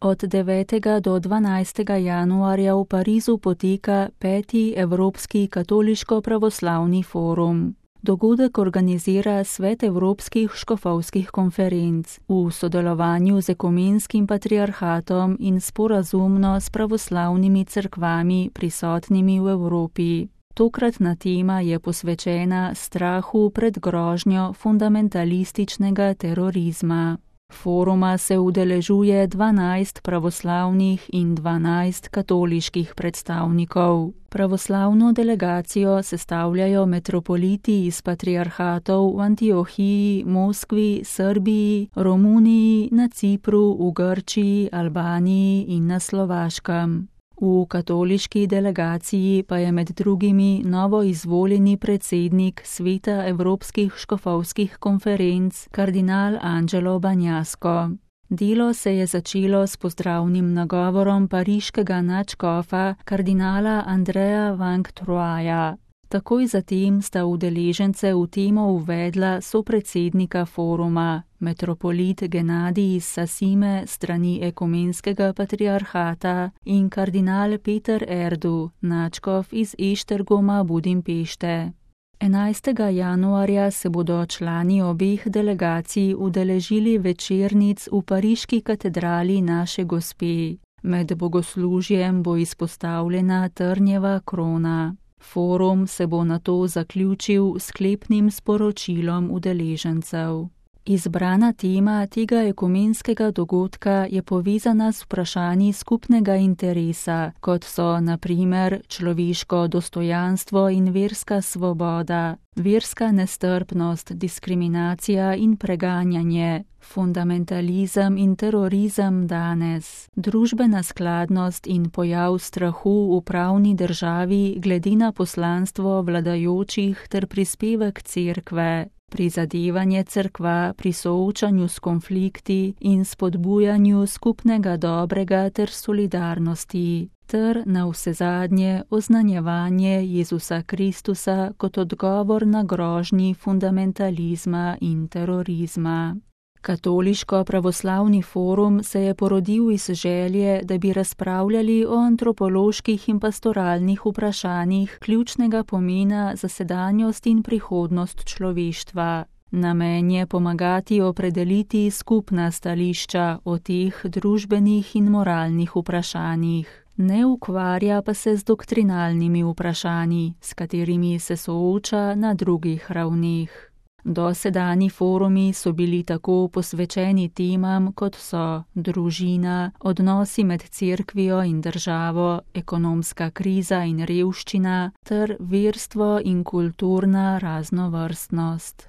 Od 9. do 12. januarja v Parizu poteka 5. Evropski katoliško-pravoslavni forum. Dogodek organizira Svet Evropskih škofovskih konferenc v sodelovanju z Ekumenskim patriarhatom in sporazumno s pravoslavnimi cerkvami prisotnimi v Evropi. Tokratna tema je posvečena strahu pred grožnjo fundamentalističnega terorizma. Foruma se udeležuje 12 pravoslavnih in 12 katoliških predstavnikov. Pravoslavno delegacijo sestavljajo metropoliti iz patriarhatov v Antiohiji, Moskvi, Srbiji, Romuniji, na Cipru, v Grčiji, Albaniji in na Slovaškem. V katoliški delegaciji pa je med drugimi novo izvoljeni predsednik Sveta Evropskih škofovskih konferenc, kardinal Angelo Bagnasco. Delo se je začelo s pozdravnim nagovorom pariškega nadškofa, kardinala Andreja Van Troja. Takoj zatem sta udeležence v temo uvedla sopredsednika foruma, metropolit Genadij iz Sasime strani Ekumenskega patriarhata in kardinal Peter Erdu, nadškof iz Eštergoma Budimpešte. 11. januarja se bodo člani obeh delegacij udeležili večernic v pariški katedrali Naše Gospe. Med bogoslužjem bo izpostavljena trnjeva krona. Forum se bo nato zaključil s sklepnim sporočilom udeležencev. Izbrana tema tega ekumenskega dogodka je povezana s vprašanji skupnega interesa, kot so na primer človeško dostojanstvo in verska svoboda, verska nestrpnost, diskriminacija in preganjanje, fundamentalizem in terorizem danes, družbena skladnost in pojav strahu v pravni državi glede na poslanstvo vladajočih ter prispevek cerkve, prizadevanje cerkva pri soočanju s konflikti in spodbujanju skupnega dobrega ter solidarnosti, ter navsezadnje oznanjevanje Jezusa Kristusa kot odgovor na grožnji fundamentalizma in terorizma. Katoliško-pravoslavni forum se je porodil iz želje, da bi razpravljali o antropoloških in pastoralnih vprašanjih ključnega pomena za sedanjost in prihodnost človeštva. Namen je pomagati opredeliti skupna stališča o teh družbenih in moralnih vprašanjih. Ne ukvarja pa se z doktrinalnimi vprašanji, s katerimi se sooča na drugih ravneh. Dosedanji forumi so bili tako posvečeni temam, kot so družina, odnosi med cerkvijo in državo, ekonomska kriza in revščina ter verstvo in kulturna raznovrstnost.